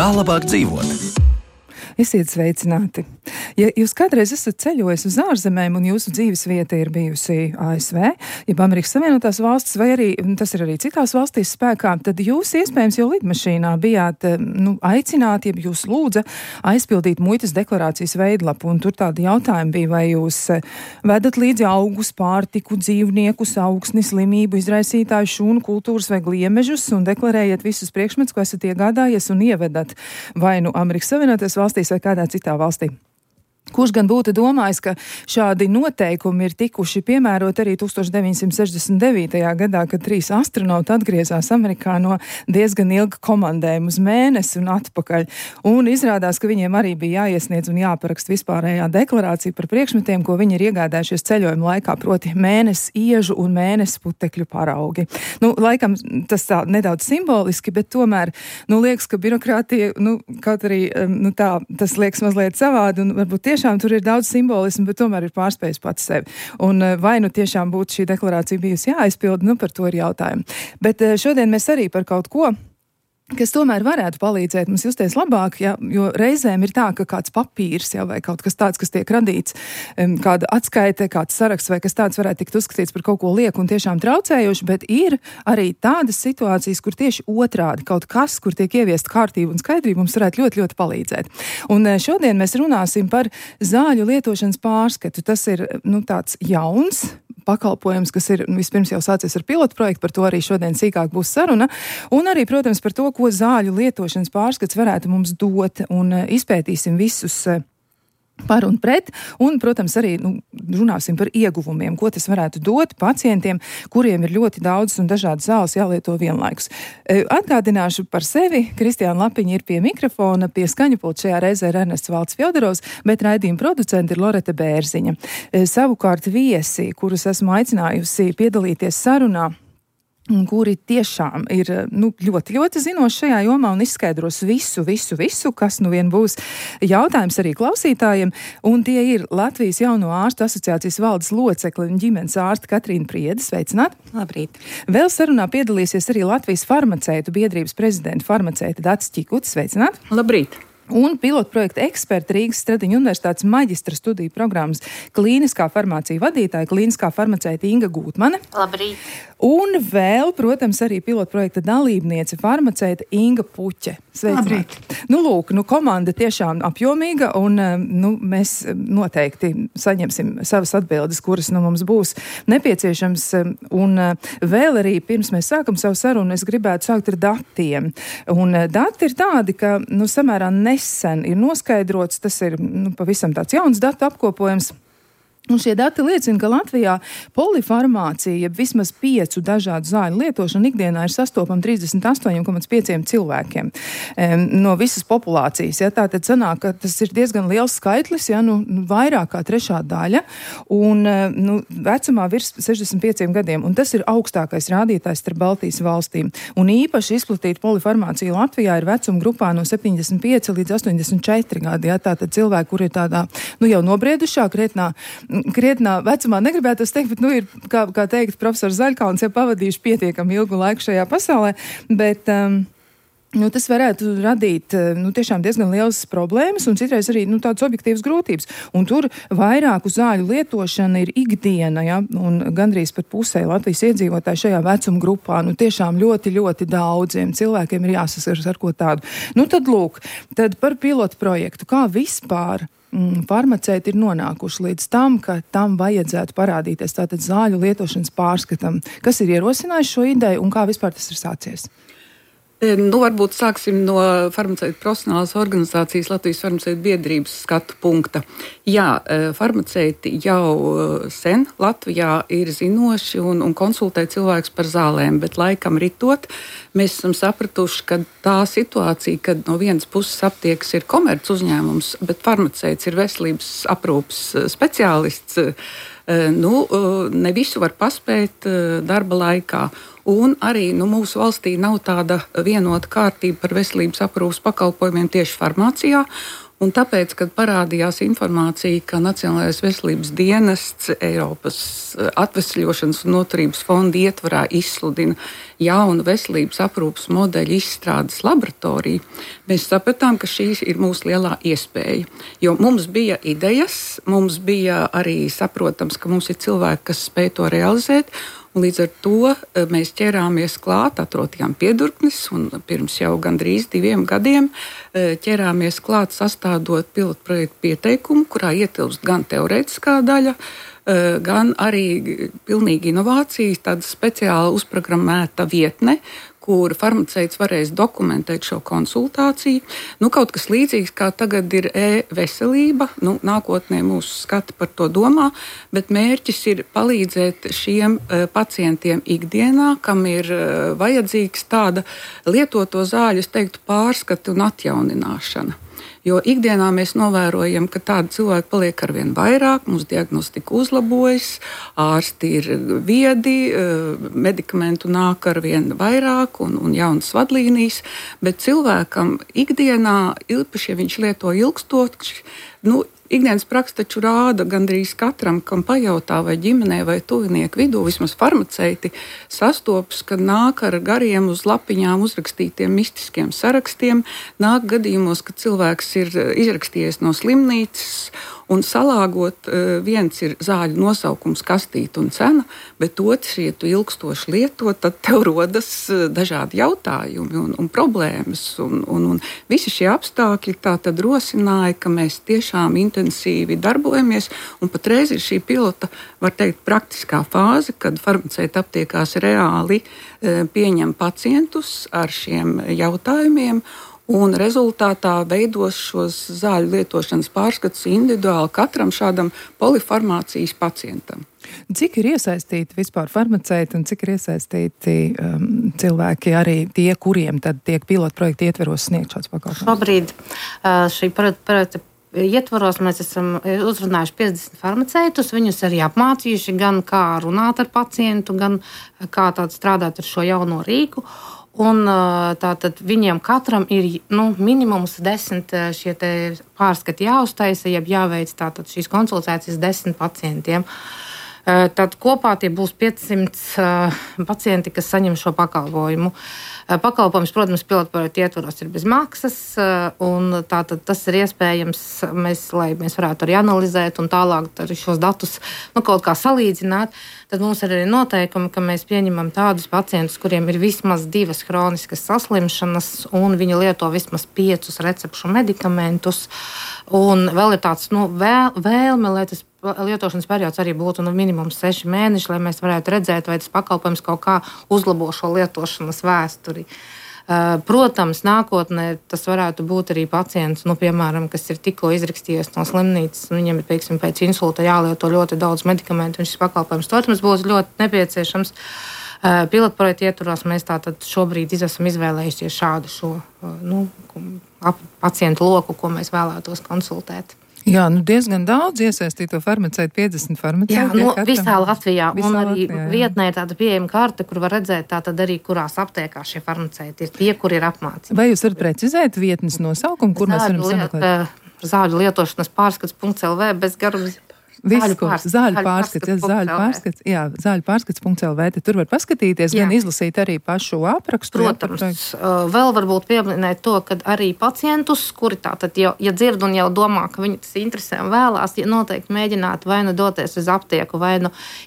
Kā labāk dzīvot? Esiet sveicināti! Ja jūs kādreiz esat ceļojis uz ārzemēm un jūsu dzīves vieta ir bijusi ASV, jeb Amerikas Savienotās valstis, vai arī tas ir arī citās valstīs spēkā, tad jūs iespējams jau lidmašīnā bijāt aicināti, jeb jūs lūdza aizpildīt muitas deklarācijas veidlapu, un tur tādi jautājumi bija, vai jūs vedat līdzi augus, pārtiku, dzīvniekus, augsni, slimību, izraisītāju, šūnu, kultūras vai gliemežus, un deklarējiet visus priekšmetus, ko esat iegādājies, un ievedat vai nu Amerikas Savienotās valstīs vai kādā citā valstī. Kurš gan būtu domājis, ka šādi noteikumi ir tikuši piemērot arī 1969. gadā, kad 3 astronauti atgriezās Amerikā no diezgan ilga komandējuma uz mēnesi un atpakaļ. Un izrādās, ka viņiem arī bija jāiesniedz un jāparakst vispārējā deklarācija par priekšmetiem, ko viņi ir iegādājušies ceļojuma laikā, proti mēnesi iežu un mēnesi putekļu paraugi. Laikam tas tā nedaudz simboliski, bet tomēr, liekas, ka birokrātija, kaut arī, tas liekas mazliet savādi un varbūt tiešām tur ir daudz simbolismu, bet tomēr ir pārspējis pats sevi. Un vai tiešām būtu šī deklarācija bijusi jāaizpilda, par to ir jautājumi. Bet šodien mēs arī par kaut ko, kas tomēr varētu palīdzēt mums justies labāk, jo reizēm ir tā, ka kāds papīrs vai kaut kas tāds, kas tiek radīts, kāda atskaite, kāds saraksts vai kas tāds varētu tikt uzskatīts par kaut ko lieku un tiešām traucējoši, bet ir arī tādas situācijas, kur tieši otrādi kaut kas, kur tiek ieviest kārtība un skaidrība, mums varētu ļoti, ļoti palīdzēt. Un šodien mēs runāsim par zāļu lietošanas pārskatu. Tas ir, tāds jauns pakalpojums, kas ir vispirms jau sācies ar pilotu projektu, par to arī šodien sīkāk būs saruna, un arī, protams, par to, ko zāļu lietošanas pārskats varētu mums dot, un izpētīsim visus par un pret, un, protams, arī runāsim par ieguvumiem, ko tas varētu dot pacientiem, kuriem ir ļoti daudz un dažādas zāles jālieto vienlaikus. Atgādināšu par sevi, Kristiāna Lapiņa ir pie mikrofona, pie skaņu pulta šajā reizē ir Ernests Valds Fjodorovs, bet raidījuma producenti ir Loreta Bērziņa. Savukārt viesi, kurus esmu aicinājusi piedalīties sarunā, kuri tiešām ir ļoti, ļoti zinoši šajā jomā un izskaidros visu, kas vien būs jautājums arī klausītājiem. Un tie ir Latvijas Jauno ārstu asociācijas valdes locekle un ģimenes ārste Katrīna Priede. Sveicināt! Labrīt! Vēl sarunā piedalīsies arī Latvijas farmaceitu biedrības prezidenta farmaceita Dace Čikuta. Sveicināt! Labrīt! Un pilotprojekta eksperta Rīgas Stradiņu universitātes maģistra studiju programmas klīniskā farmācija vadītāja, klīniskā farmaceita Inga Gūtmane. Labrīt! Un vēl, protams, arī pilotprojekta dalībniece farmaceita Inga Puķe. Sveicināt! Lūk, komanda tiešām apjomīga, un mēs noteikti saņemsim savas atbildes, kuras mums būs nepieciešams. Un vēl arī, pirms mēs sākam savu sarunu, es gribētu sākt ar datiem. Un dati ir tādi, ka samērā nesen ir noskaidrots, tas ir pavisam tāds jauns datu apkopojums. Un šie dati liecina, ka Latvijā polifarmācija, vismaz 5 dažādu zāļu lietošana ikdienā ir sastopama 38,5 cilvēkiem no visas populācijas. Tātad sanāk, ka tas ir diezgan liels skaitlis, vairāk kā 3/3 daļa, un vecumā virs 65 gadiem. Un tas ir augstākais rādītājs starp Baltijas valstīm. Un īpaši izplatīta polifarmācija Latvijā ir vecuma grupā no 75 līdz 84 gadi. Tātad cilvēki, kuri ir tādā jau nobriedušā, krietnā vecumā, negribētu teikt, bet ir, kā teikt, profesors Zaļkauns jau pavadījuši pietiekami ilgu laiku šajā pasaulē, bet tas varētu radīt tiešām diezgan lielas problēmas un citreiz arī tādas objektīvas grūtības. Un tur vairāku zāļu lietošana ir ikdiena, un gandrīz par pusē Latvijas iedzīvotāji šajā vecuma grupā. Tiešām ļoti, ļoti daudziem cilvēkiem ir jāsaskaras ar ko tādu. Tad par pilotu projektu. Kā vispār farmaceiti ir nonākuši līdz tam, ka tam vajadzētu parādīties tātad zāļu lietošanas pārskatam? Kas ir ierosinājis šo ideju un kā vispār tas ir sācies? Varbūt sāksim no farmaceitu profesionālās organizācijas Latvijas farmaceitu biedrības skatu punkta. Jā, farmaceiti jau sen Latvijā ir zinoši un konsultē cilvēkus par zālēm, bet laikam ritot, mēs esam sapratuši, ka tā situācija, kad no vienas puses aptiekas ir komerc uzņēmums, bet farmaceits ir veselības aprūpes speciālists, ne visu var paspēt darba laikā. Un arī mūsu valstī nav tāda vienota kārtība par veselības aprūpes pakalpojumiem tieši farmācijā. Un tāpēc, kad parādījās informācija, ka Nacionālais veselības dienests Eiropas atvesļošanas un noturības fonda ietvarā izsludina jaunu veselības aprūpes modeļu izstrādes laboratoriju, mēs sapratām, ka šī ir mūsu lielā iespēja. Jo mums bija idejas, mums bija arī saprotams, ka mums ir cilvēki, kas spēj to realizēt. Līdz ar to mēs ķērāmies klāt, atrodījām piedurknis, un pirms jau gandrīz 2 gadiem ķērāmies klāt sastādot pilotprojektu pieteikumu, kurā ietilpst gan teorētiskā daļa, gan arī pilnīgi inovācijas, tāda speciāla uzprogrammēta vietne, kur farmaceits varēs dokumentēt šo konsultāciju. Kaut kas līdzīgs, kā tagad ir e-veselība. Nākotnē mūsu skati par to domā, bet mērķis ir palīdzēt šiem pacientiem ikdienā, kam ir vajadzīgs tāda lietoto zāļu, es teiktu, pārskata un atjaunināšana. Jo ikdienā mēs novērojam, ka tādi cilvēki paliek arvien vairāk, mūsu diagnostika uzlabojas, ārsti ir viedi, medikamentu nāk arvien vairāk un jaunas vadlīnijas, bet cilvēkam ikdienā, īpaši, ja viņš lieto ilgstoši, ikdienas praksa taču rāda gandrīz katram, kam pajautā vai ģimenē vai tuvinieku vidū, vismaz farmaceiti sastopas, kad nāk ar gariem uz lapiņām uzrakstītiem mistiskiem sarakstiem, nāk gadījumos, kad cilvēks ir izrakstījies no slimnīcas un salāgot, viens ir zāļu nosaukums, kastīte un cena, bet otrs, ja tu ilgstoši lieto, tad tev rodas dažādi jautājumi un problēmas. Un visi šie apstākļi tā tad rosināja, ka mēs tiešām intensīvi darbojamies, un patreiz ir šī pilota, var teikt, praktiskā fāze, kad farmaceiti aptiekās reāli pieņem pacientus ar šiem jautājumiem, un rezultātā veidos šos zāļu lietošanas pārskatus individuāli katram šādam polifarmācijas pacientam. Cik ir iesaistīti vispār farmaceiti un cik ir iesaistīti cilvēki arī tie, kuriem tad tiek pilotprojekti ietveros sniegt šāds pakalpojums? Šobrīd šī projekta ietvaros mēs esam uzrunājuši 50 farmaceitus, viņus arī apmācījuši gan kā runāt ar pacientu, gan kā strādāt ar šo jauno rīku. Un tātad viņiem katram ir minimums 10 šie pārskati jāuztaisa, jeb jāveic tātad šīs konsultācijas 10 pacientiem. Tad kopā tie būs 500 pacienti, kas saņem šo pakalpojumu. Pakalpojums, protams, pilotprojekta ietvaros ir bez maksas, un tātad tas ir iespējams, lai mēs varētu arī analizēt un tālāk arī šos datus kaut kā salīdzināt. Tad mums ir arī noteikumi, ka mēs pieņemam tādus pacientus, kuriem ir vismaz 2 hroniskas saslimšanas, un viņi lieto vismaz 5 recepšu medikamentus. Un vēl ir tāds vēlme, lai tas lietošanas periods arī būtu minimums 6 mēneši, lai mēs varētu redzēt, vai tas pakalpojums kaut kā uzlabo šo lietošanas vēsturi. Protams, nākotnē tas varētu būt arī pacients, piemēram, kas ir tikko izrakstījies no slimnīcas, un viņam ir, pēc insulta jālieto ļoti daudz medikamentu, un šis pakalpojums, protams, būs ļoti nepieciešams. Pilotprojekta ietvaros mēs tātad šobrīd esam izvēlējušies šādu šo pacientu loku, ko mēs vēlētos konsultēt. Jā, diezgan daudz iesaistīto farmaceitu, 50 farmaceitu. Jā, visā Latvijā. Un arī vietnē ir tāda pieejama karte, kur var redzēt tātad arī, kurās aptiekās šie farmaceiti ir tie, kuri ir apmācīti. Vai jūs varat precizēt vietnes nosaukumu, kur mēs varam sameklēt? Zāļu lietošanas pārskats.lv bez garums. Zāļu pārskats.lv, tur var paskatīties, gan izlasīt arī pašu aprakstu. Protams, vēl varbūt pieminēt to, ka arī pacientus, kuri tātad ja dzird un jau domā, ka viņu tas interesē un vēlās, noteikti mēģināt vai doties uz aptieku, vai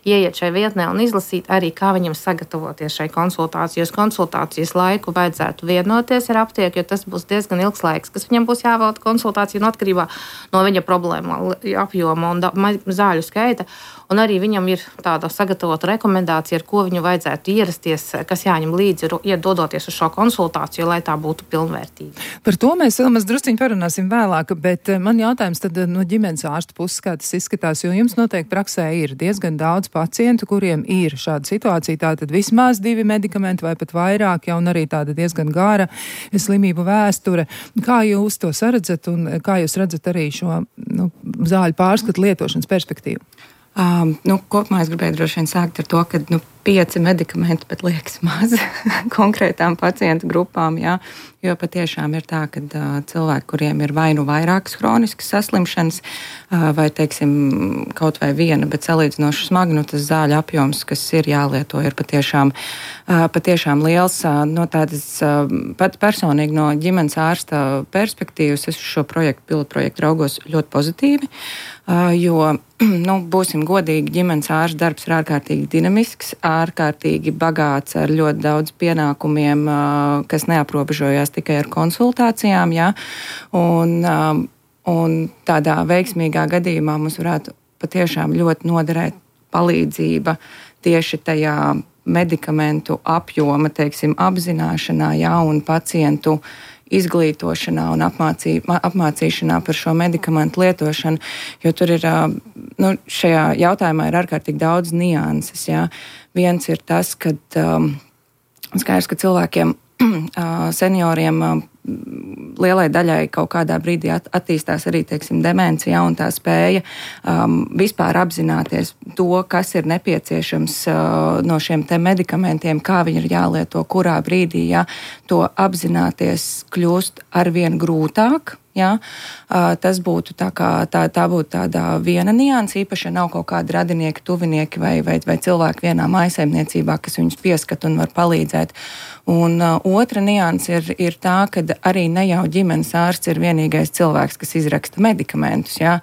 ieiet šai vietnē un izlasīt arī, kā viņam sagatavoties šai konsultācijai. Konsultācijas laiku vajadzētu vienoties ar aptieku, jo tas būs diezgan ilgs laiks, kas viņam būs jāvelta konsultāciju atkarībā no viņa problēma apjoma un zāļu skaita, un arī viņam ir tāda sagatavota rekomendācija, ar ko viņu vajadzētu ierasties, kas jāņem līdzi, iedodoties uz šo konsultāciju, lai tā būtu pilnvērtīga. Par to mēs vēl maz drusciņi parunāsim vēlāk, bet man jautājums tad no ģimenes ārsta puses, kā tas izskatās, jo jums noteikti praksē ir diezgan daudz pacientu, kuriem ir šāda situācija, tātad vismaz 2 medikamenti vai pat vairāk, un arī tāda diezgan gara slimību vēsture. Kā jūs to saredzat un kā jūs redzat arī šo zāļu pārskatu lietošanas perspektīvu? Kopumā es gribēju droši vien sākt ar to, ka 5 medikamenti pat liekas maz konkrētām pacientu grupām, jā, jo patiešām ir tā, ka cilvēki, kuriem ir vai nu vairākas hroniskas saslimšanas, vai, teiksim, kaut vai viena, bet salīdzinoši smagi, tas zāļu apjoms, kas ir jālieto, ir patiešām liels. No tādas pat personīgi no ģimenes ārsta perspektīvas es uz šo pilotprojektu raugos ļoti pozitīvi, jo, būsim godīgi, ģimenes ārsta darbs ir ārkārtīgi dinamisks, ārkārtīgi bagāts ar ļoti daudz pienākumiem, kas neaprobežojās tikai ar konsultācijām, jā, un tādā veiksmīgā gadījumā mums varētu patiešām ļoti noderēt palīdzība tieši tajā medikamentu apjoma, teiksim, apzināšanā, jā, un pacientu izglītošanā un apmācīšanā par šo medikamentu lietošanu, jo tur ir, šajā jautājumā ir ārkārtīgi daudz nianses, jā. Viens ir tas, ka skaidrs, ka cilvēkiem, senioriem, lielai daļai kaut kādā brīdī attīstās arī, teiksim, demencija un tā spēja vispār apzināties to, kas ir nepieciešams no šiem te medikamentiem, kā viņi ir jālieto, kurā brīdī, jā, to apzināties kļūst arvien grūtāk. Jā, tas būtu tā būtu tāda viena nianse, īpaši, ja nav kaut kādi radinieki, tuvinieki vai cilvēki vienā mājsaimniecībā, kas viņus pieskat un var palīdzēt. Un otra nianse ir tā, ka arī ne jau ģimenes ārsts ir vienīgais cilvēks, kas izraksta medikamentus. Jā.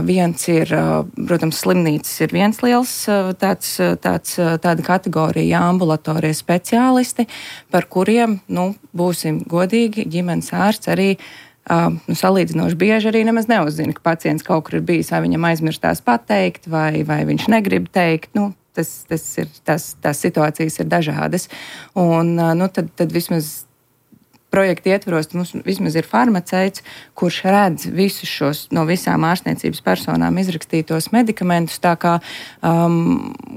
Viens ir, protams, slimnīcas ir viens liels tāda kategorija, jā, ambulatorie speciālisti, par kuriem, būsim godīgi, ģimenes ārsts arī salīdzinoši bieži arī nemaz neuzzina, ka pacients kaut kur ir bijis, vai viņam aizmirstās pateikt, vai viņš negrib teikt. Tās situācijas ir dažādas. Un tad vismaz projekta ietvaros mums vismaz ir farmaceits, kurš redz visus šos no visām ārstniecības personām izrakstītos medikamentus, tā kā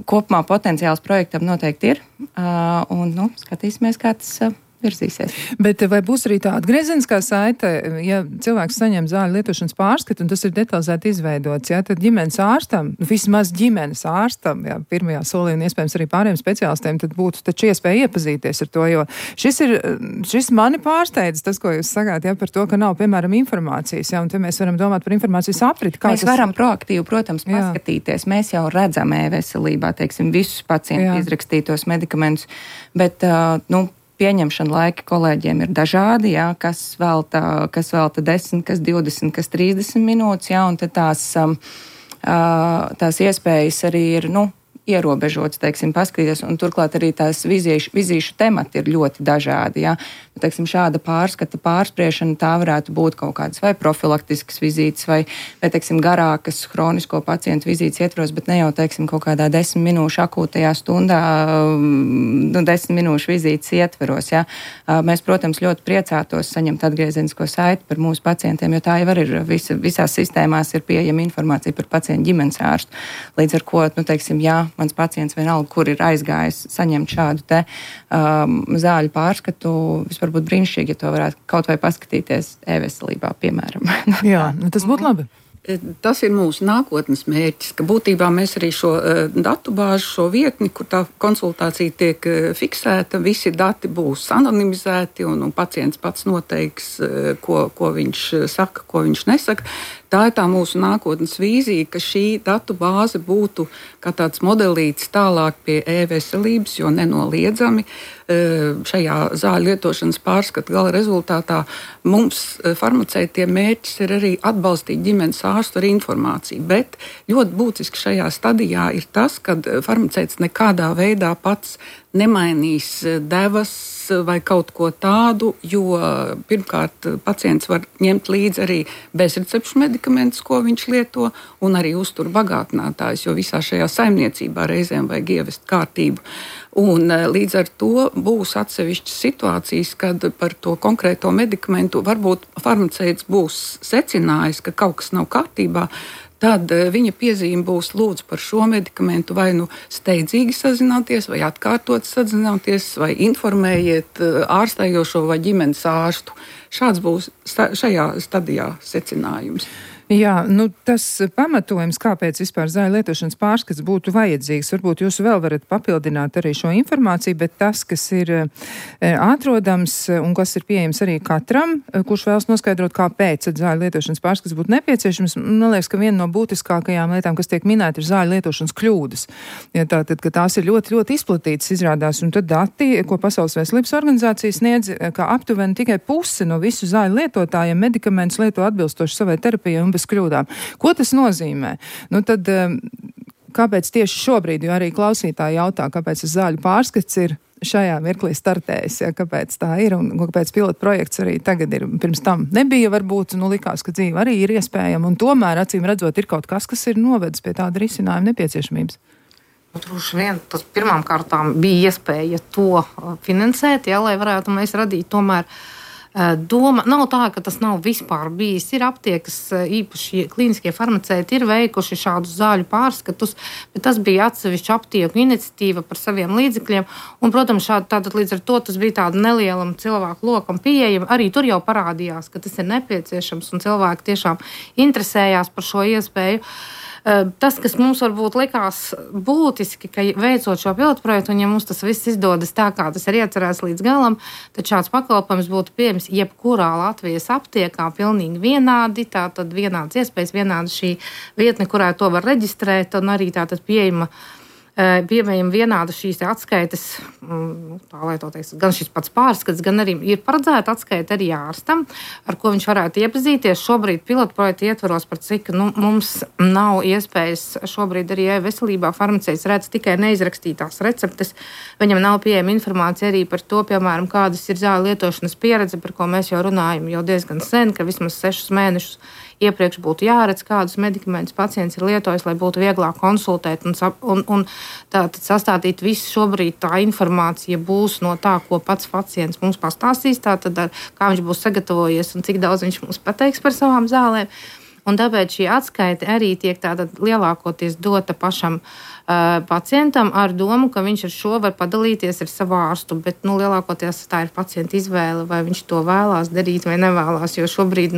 kopumā potenciāls projektam noteikti ir. Un skatīsimies, kā tas virzīsies. Bet vai būs arī tā atgriezeniskā saite, ja cilvēks saņem zāļu lietošanas pārskatu un tas ir detalizēti izveidots, jā, tad ģimenes ārstam, vismaz ģimenes ārstam, jā, pirmajā solī un iespējams arī pārējiem speciālistiem, tad būtu taču iespēja iepazīties ar to, jo šis mani pārsteidz, tas, ko jūs sakāt, jā, par to, ka nav, piemēram, informācijas, jā, un te mēs varam domāt par informācijas apriti. Mēs varam proaktīvi, protams, paskatīties. Mēs jau redzam e-veselībā, teiksim, visus pacientu izrakstītos medikamentus, bet, pieņemšana laika kolēģiem ir dažādi, jā, kas velta 10, kas 20, kas 30 minūtes, jā, un tad tās iespējas arī ir, ierobežots, teiksim, paskatīties, un turklāt arī tās vizīšu temati ir ļoti dažādi, jā. Teiksim, šāda pārskata pārspriešana, tā varētu būt kaut kādas vai profilaktiskas vizītes, vai teiksim, garākas hronisko pacientu vizītes ietvaros, bet ne jau, teiksim, kaut kādā 10 minūšu akūtajā stundā, 10 minūšu vizītes ietvaros, jā. Mēs, protams, ļoti priecātos saņemt atgriezenisko saiti par mūsu pacientiem, jo tā jau ir visās sistēmās ir pieejama informācija par pacientu ģimenes ārstu. Līdz ar ko, teiksim, jā, mans pacients vienalga, kur ir aizgājis saņemt šādu te zāļu pārskatu, varbūt brīnišķīgi, ja to varētu kaut vai paskatīties e-veselībā, piemēram. Jā, tas būtu labi. Tas ir mūsu nākotnes mērķis, ka būtībā mēs arī šo datu bāzi, šo vietni, kur tā konsultācija tiek fiksēta, visi dati būs anonimizēti un pacients pats noteiks, ko viņš saka, ko viņš nesaka. Tā ir tā mūsu nākotnes vīzija, ka šī datu bāze būtu kā tāds modelīts tālāk pie e-veselības, jo nenoliedzami šajā zāļu lietošanas pārskata gala rezultātā mums farmaceitiem mērķis ir arī atbalstīt ģimenes ārstu ar informāciju, bet ļoti būtiski šajā stadijā ir tas, ka farmaceits nekādā veidā pats nemainīs devas vai kaut ko tādu, jo pirmkārt pacients var ņemt līdzi arī bezrecepšu medikamentus, ko viņš lieto, un arī uztur bagātinātājus, jo visā šajā saimniecībā reizēm vajag ievest kārtību. Un līdz ar to būs atsevišķas situācijas, kad par to konkrēto medikamentu varbūt farmaceits būs secinājis, ka kaut kas nav kārtībā, tad viņa piezīme būs lūdzu par šo medikamentu vai steidzīgi sazināties, vai atkārtot sazināties, vai informējiet ārstējošo vai ģimenes ārstu. Šāds būs šajā stadijā secinājums. Jā, tas pamatojums, kāpēc vispār zāļu lietošanas pārskats būtu vajadzīgs, varbūt jūs vēl varat papildināt arī šo informāciju, bet tas, kas ir atrodams un kas ir pieejams arī katram, kurš vēlas noskaidrot, kāpēc zāļu lietošanas pārskats būtu nepieciešams, man liekas, ka viena no būtiskākajām lietām, kas tiek minēta, ir zāļu lietošanas kļūdas. Ja tātad, ka tās ir ļoti, ļoti izplatītas izrādās, un tad dati, ko Pasaules veselības organizācija sniedz, ka aptuveni tikai puse no visu zāļu lietotājiem medikamentus lieto atbilstoši savai terapijai un bez kļūdām. Ko tas nozīmē? Tad kāpēc tieši šobrīd, jo arī klausītāji jautā, kāpēc zāļu pārskats ir šajā mirklī startējis, ja, kāpēc tā ir un kāpēc pilota projekts arī tagad ir, pirms tam nebija varbūt, likās, ka dzīve arī ir iespējama un tomēr, acīm redzot, ir kaut kas ir novedis pie tāda risinājuma nepieciešamības. Droši vien tas pirmām kārtām bija iespēja to finansēt, ja, lai varētu mēs radīt tomēr doma. Nav tā, ka tas nav vispār bijis. Ir aptiekas, īpaši klīniskie farmaceiti ir veikuši šādus zāļu pārskatus, bet tas bija atsevišķa aptieku iniciatīva par saviem līdzekļiem. Un, protams, tātad līdz ar to tas bija tāda nelielam cilvēku lokam pieejama. Arī tur jau parādījās, ka tas ir nepieciešams un cilvēki tiešām interesējās par šo iespēju. Tas, kas mums varbūt likās būtiski, ka veicot šo pilotu projektu, un ja mums tas viss izdodas tā, kā tas ir iecerēts līdz galam, tad šāds pakalpojums būtu pieejams jebkurā Latvijas aptiekā pilnīgi vienādi, tātad vienādas iespējas, vienāda šī vietne, kurā to var reģistrēt, un arī tātad pieejama vienāda šīs atskaites, tā lai to teiks, gan šis pats pārskats, gan arī ir paredzēta atskaita arī ārstam, ar ko viņš varētu iepazīties. Šobrīd pilotu projektu ietvaros, par cik mums nav iespējas šobrīd arī veselībā farmaceits redz tikai neizrakstītās receptes. Viņam nav pieejama informācija arī par to, piemēram, kādas ir zāļu lietošanas pieredze, par ko mēs jau runājam jau diezgan sen, ka vismaz 6 mēnešus iepriekš būtu jāredz, kādus medikamentus pacients ir lietojis, lai būtu vieglāk konsultēt un tātad sastādīt visu šobrīd tā informācija būs no tā, ko pats pacients mums pastāstīs, tātad kā viņš būs sagatavojies un cik daudz viņš mums pateiks par savām zālēm. Un tāpēc šī atskaite arī tiek tātad lielākoties dota pašam pacientam ar domu, ka viņš ar šo var padalīties ar savu ārstu, bet lielākoties tā ir pacienta izvēle, vai viņš to vēlās darīt vai nevēlās, jo šobrīd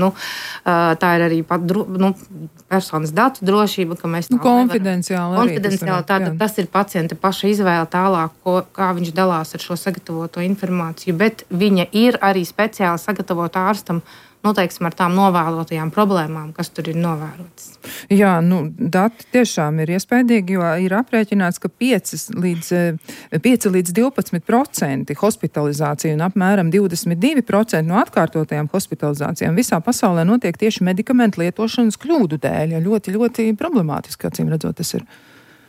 tā ir arī personas datu drošība, ka mēs tā konfidenciāli tātad tas ir pacienta paša izvēle tālāk, kā viņš dalās ar šo sagatavoto informāciju, bet viņa ir arī speciāli sagatavota ārstam, teiksim, ar tām novēlotajām problēmām, kas tur ir novērotas. Jā, dati tiešām ir iespaidīgi, jo ir aprēķināts, ka 5 līdz 12% hospitalizācija un apmēram 22% no atkārtotajām hospitalizācijām visā pasaulē notiek tieši medikamentu lietošanas kļūdu dēļ. Ja ļoti, ļoti problemātiski, acīm redzot, tas ir.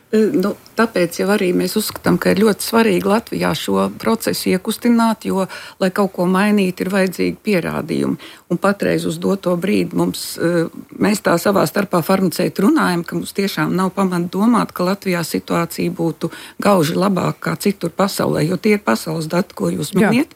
Tāpēc jau arī mēs uzskatām, ka ir ļoti svarīgi Latvijā šo procesu iekustināt, jo, lai kaut ko mainītu, ir vajadzīgi pierādījumi. Un patreiz uz doto brīdi mēs tā savā starpā farmaceiti runājam, ka mums tiešām nav pamata domāt, ka Latvijā situācija būtu gauži labāka kā citur pasaulē, jo tie ir pasaules dati, ko jūs miniet.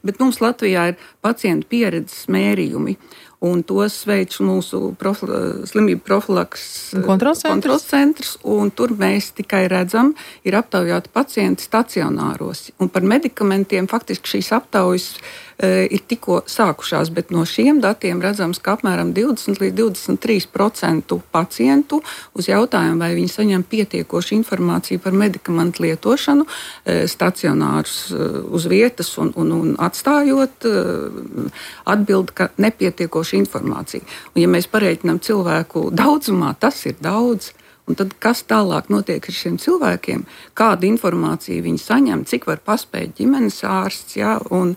Bet mums Latvijā ir pacientu pieredzes mērījumi. Un tos veids mūsu slimību profilaks kontrols centrs, un tur mēs tikai redzam, ir aptaujāti pacienti stacionāros. Un par medikamentiem faktiski šīs aptaujas ir tikko sākušās, bet no šiem datiem redzams, ka apmēram 20 līdz 23% pacientu uz jautājumu, vai viņi saņem pietiekošu informāciju par medikamentu lietošanu, stacionārus uz vietas un atstājot, atbild, ka nepietiekoša informācija. Un ja mēs pareiķinām cilvēku daudzumā, tas ir daudz. Un tad, kas tālāk notiek ar šiem cilvēkiem, kādu informāciju viņi saņem, cik var paspēt ģimenes ārsts, ja, un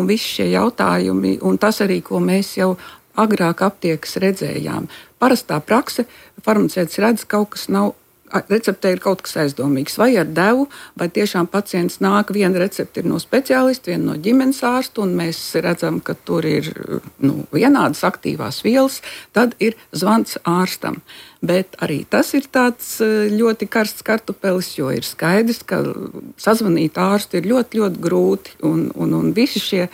visi šie jautājumi, un tas arī, ko mēs jau agrāk aptiekas redzējām. Parastā prakse, farmaceits redz, kaut kas nav, receptē ir kaut kas aizdomīgs, vai ar devu, vai tiešām pacients nāk, viena recepte ir no speciālista, viena no ģimenes ārsta, un mēs redzam, ka tur ir vienādas aktīvās vielas, tad ir zvans ārstam. Bet arī tas ir tāds ļoti karsts kartupelis, jo ir skaidrs, ka sazvanīt ārstu ir ļoti, ļoti grūti, un visi šie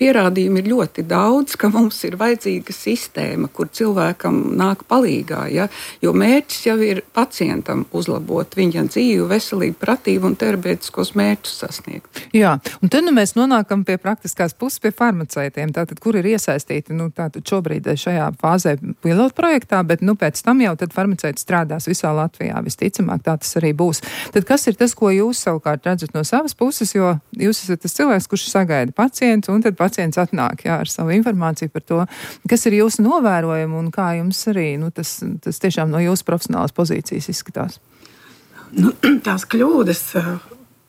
pierādījumi ir ļoti daudz, ka mums ir vajadzīga sistēma, kur cilvēkam nāk palīgā. Ja? Jo mērķis jau ir pacientam uzlabot viņa dzīvi, veselību, pratību un terapeitiskos mērķus sasniegt. Jā, un tad mēs nonākam pie praktiskās puses, pie farmaceitiem, tātad, kur ir iesaistīti, tātad šobrīd šajā fāzē pilotu projektā, bet, pēc tam jau tad farmaceiti strādās visā Latvijā, visticamāk tā tas arī būs. Tad kas ir tas, ko jūs savukārt redzat no savas puses, jo jūs esat tas cilvēks, kurš sagaida pacientu, un tad pacients atnāk, ar savu informāciju par to, kas ir jūsu novērojumi un kā jums arī, tas tiešām no jūsu profesionālās pozīcijas izskatās. Tās kļūdas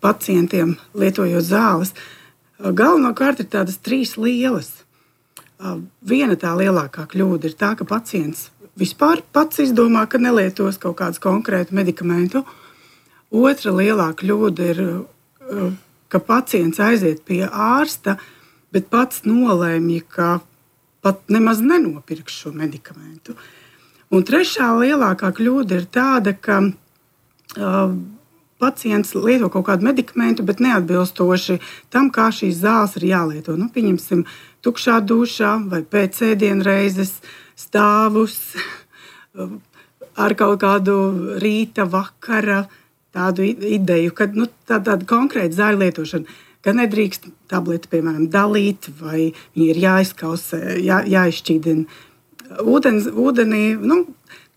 pacientiem lietojot zāles, galvenokārt ir tādas 3 lielas. Viena tā lielākā kļūda ir tā, ka pacients vispār pats izdomā, ka nelietos kaut kādu konkrētu medikamentu. Otra lielā kļūda ir, ka pacients aiziet pie ārsta, bet pats nolēmj, ka pat nemaz nenopirks šo medikamentu. Un trešā lielākā kļūda ir tāda, ka pacients lieto kaut kādu medikamentu, bet neatbilstoši tam, kā šīs zāles ir jālieto. Pieņemsim, tukšā dušā vai pēc ēdienreizes stāvus ar kaut kādu rīta, vakara tādu ideju, ka tāda konkrēta zāļu lietošana, ka nedrīkst tableti, piemēram, dalīt, vai viņi ir jāizkausē, jāizšķīdina ūdenī.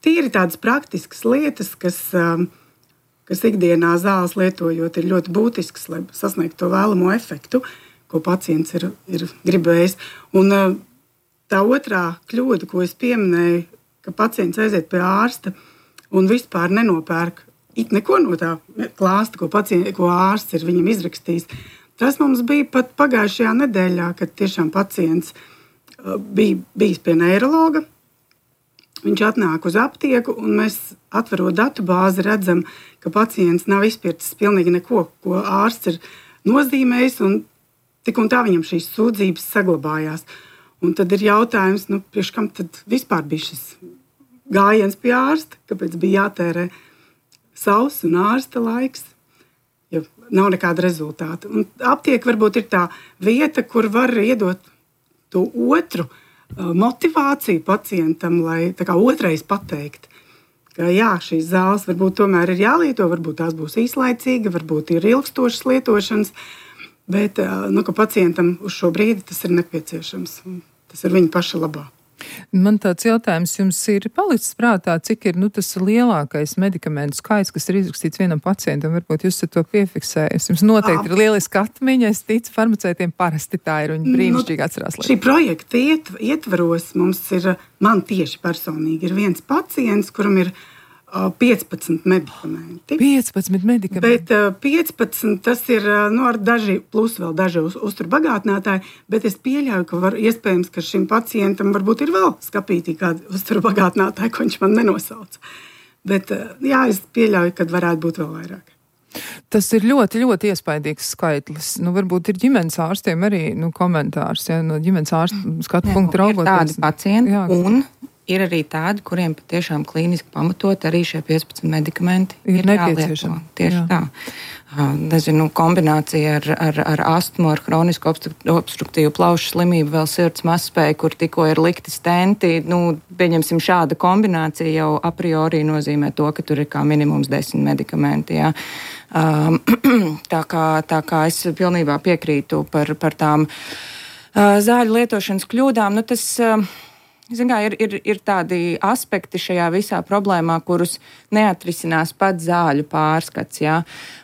Tīri tādas praktiskas lietas, kas ikdienā zāles lietojot ir ļoti būtisks, lai sasniegtu to vēlamo efektu, ko pacients ir gribējis. Un tā otrā kļūda, ko es pieminēju, ka pacients aiziet pie ārsta un vispār nenopērk neko no tā klāsta, ko ārsts ir viņam izrakstījis. Tas mums bija pat pagājušajā nedēļā, kad tiešām pacients bija bijis pie neirologa. Viņš atnāk uz aptieku, un mēs, atverot datubāzi, redzam, ka pacients nav izpircis pilnīgi neko, ko ārsts ir nozīmējis, un tik un tā viņam šīs sūdzības saglabājās. Un tad ir jautājums, priekš kam tad vispār bija šis gājiens pie ārsta, kāpēc bija jātērē savs un ārsta laiks, ja nav nekāda rezultāta. Un aptieka varbūt ir tā vieta, kur var iedot to otru motivāciju pacientam, lai tā kā otrais pateikt, ka jā, šīs zāles varbūt tomēr ir jālieto, varbūt tās būs īslaicīgi, varbūt ir ilgstošas lietošanas, bet ka pacientam uz šo brīdi tas ir nepieciešams. Tas ir viņa paša labā. Man tāds jautājums jums ir palicis prātā, cik ir tas lielākais medikamentu skaits, kas ir izrakstīts vienam pacientam, varbūt jūs to piefiksējat. Jums noteikti ir lieliski atmiņa, es ticu, farmaceitiem parasti tā ir, viņi brīnišķīgi atcerās. Šī projekta ietvaros mums ir, man tieši personīgi ir viens pacients, kuram ir 15 medikamenti. 15 medikamenti? Bet 15 tas ir, ar daži, plus vēl daži uzturbagātinātāji, bet es pieļauju, ka iespējams, ka šim pacientam varbūt ir vēl skapītī kādi uzturbagātinātāji, ko viņš man nenosauca. Bet jā, es pieļauju, ka varētu būt vēl vairāk. Tas ir ļoti, ļoti iespaidīgs skaitlis. Varbūt ir ģimenes ārstiem arī komentārs, no ģimenes ārsta skatu punktu raugoties. Ir tādi pacienti, un ir arī tādi, kuriem patiešām klīniski pamatot arī šie 15 medikamenti ir nepieciešami. Tieši tā. Nezinu, kombinācija ar astmu, ar hronisku obstruktīvu plaušu slimību, vēl sirds mazspēju, kur tikko ir likti stenti. Pieņemsim, šāda kombinācija jau a priori nozīmē to, ka tur ir kā minimums 10 medikamenti. Jā. Tā kā es pilnībā piekrītu par tām zāļu lietošanas kļūdām. Ir tādi aspekti šajā visā problēmā, kurus neatrisinās pats zāļu pārskats. Ja?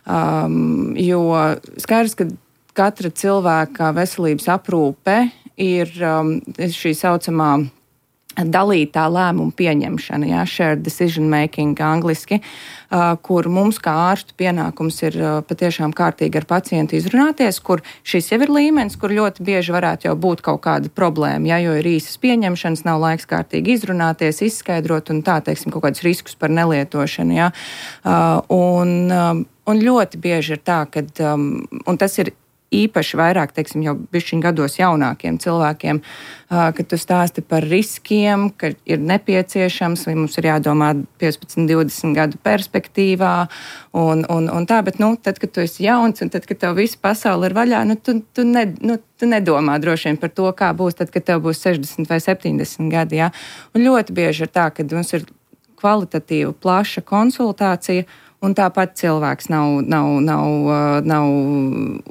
Jo skaidrs, ka katra cilvēka veselības aprūpe ir šī saucamā dalītā lēmuma pieņemšana, jā, shared decision making angliski, kur mums kā ārstu pienākums ir patiešām kārtīgi ar pacientu izrunāties, kur šis jau ir līmenis, kur ļoti bieži varētu jau būt kaut kāda problēma, jā, jo ir īsas pieņemšanas, nav laiks kārtīgi izrunāties, izskaidrot un tā, teiksim, kaut kādus riskus par nelietošanu, jā. Un ļoti bieži ir tā, ka, un tas ir īpaši vairāk, teiksim, jau bišķiņ gados jaunākiem cilvēkiem, kad tu stāsti par riskiem, ka ir nepieciešams, vai mums ir jādomā 15, 20 gadu perspektīvā un tā, bet, tad, kad tu esi jauns un tad, kad tev visa pasaule ir vaļā, tu nedomā droši vien par to, kā būs tad, kad tev būs 60 vai 70 gadi, jā. Un ļoti bieži ir tā, ka mums ir kvalitatīva, plaša konsultācija, un tāpat cilvēks nav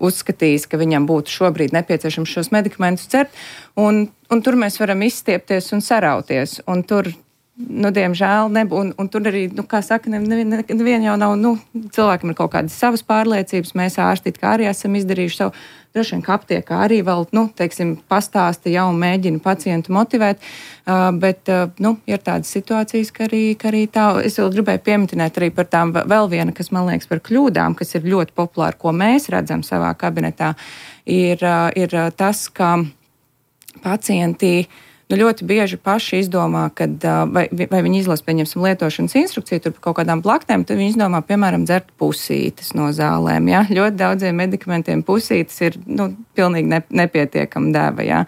uzskatījis, ka viņam būtu šobrīd nepieciešams šos medikamentus dzert, un tur mēs varam izstiepties un sarauties, un tur, diemžēl, un tur arī, kā saka, nevien jau nav, cilvēkam ir kaut kādas savas pārliecības, mēs ārsti kā arī esam izdarījuši savu, droši vien, ka aptiekā arī vēl, pastāsta jau un mēģina pacientu motivēt, bet, ir tādas situācijas, ka arī tā, es vēl gribēju pieminēt arī par tām vēl viena, kas man liekas par kļūdām, kas ir ļoti populāri, ko mēs redzam savā kabinetā, ir tas, ka pacienti ļoti bieži paši izdomā, kad vai viņi izlasa, pieņemsim, lietošanas instrukciju tur par kaut kādām blaknēm, tad viņi izdomā, piemēram, dzert pusītes no zālēm. Ja? Ļoti daudziem medikamentiem pusītes ir pilnīgi nepietiekama deva. Ja?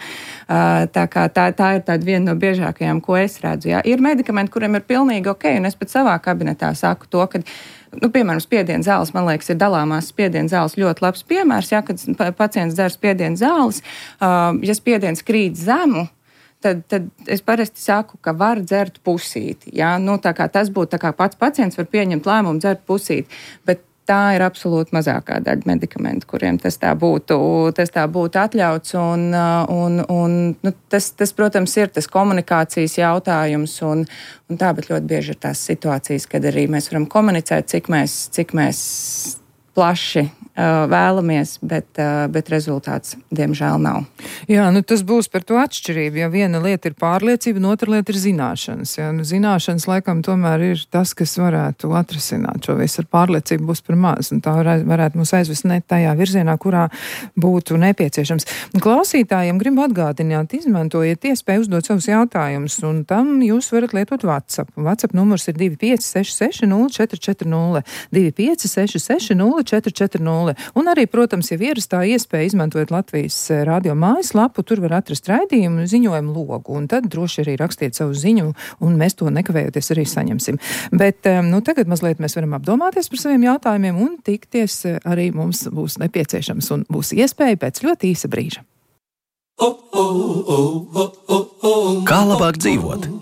Tā ir tāda viena no biežākajām, ko es redzu. Ja? Ir medikamenti, kuriem ir pilnīgi ok, un es pat savā kabinetā saku to, ka piemēram, spiediena zāles, man liekas, ir dalāmās spiediena zāles ļoti labs piemērs. Ja? Kad pacients dzer spiediena zāles, ja spiediens krīt zemu, tad es parasti saku, ka var dzert pusīti. Ja? Tā kā tas būtu, tā kā pats pacients var pieņemt lēmumu dzert pusīti, bet tā ir absolūti mazākā daļa medikamentu, kuriem tas tā būtu atļauts. Tas, protams, ir tas komunikācijas jautājums, un tā, bet ļoti bieži ir tās situācijas, kad arī mēs varam komunicēt, cik mēs plaši vēlamies, bet rezultāts, diemžēl, nav. Jā, tas būs par to atšķirību. Ja viena lieta ir pārliecība, un otra lieta ir zināšanas. Ja? Zināšanas, laikam, tomēr ir tas, kas varētu atrisināt šo visu. Ar pārliecību būs par maz, un tā varētu mūs aizvest ne tajā virzienā, kurā būtu nepieciešams. Klausītājiem gribu atgādināt, izmantojiet iespēju uzdot savus jautājumus, un tam jūs varat lietot WhatsApp. WhatsApp numurs ir 2566 0440, 2566 0440. Un arī, protams, ja ierastā iespēja izmantojot Latvijas radio mājaslapu, tur var atrast raidījumu ziņojumu logu, un tad droši arī rakstiet savu ziņu, un mēs to nekavējoties arī saņemsim. Bet, tagad mazliet mēs varam apdomāties par saviem jautājumiem, un tikties arī mums būs nepieciešams, un būs iespēja pēc ļoti īsa brīža. Kā labāk dzīvot?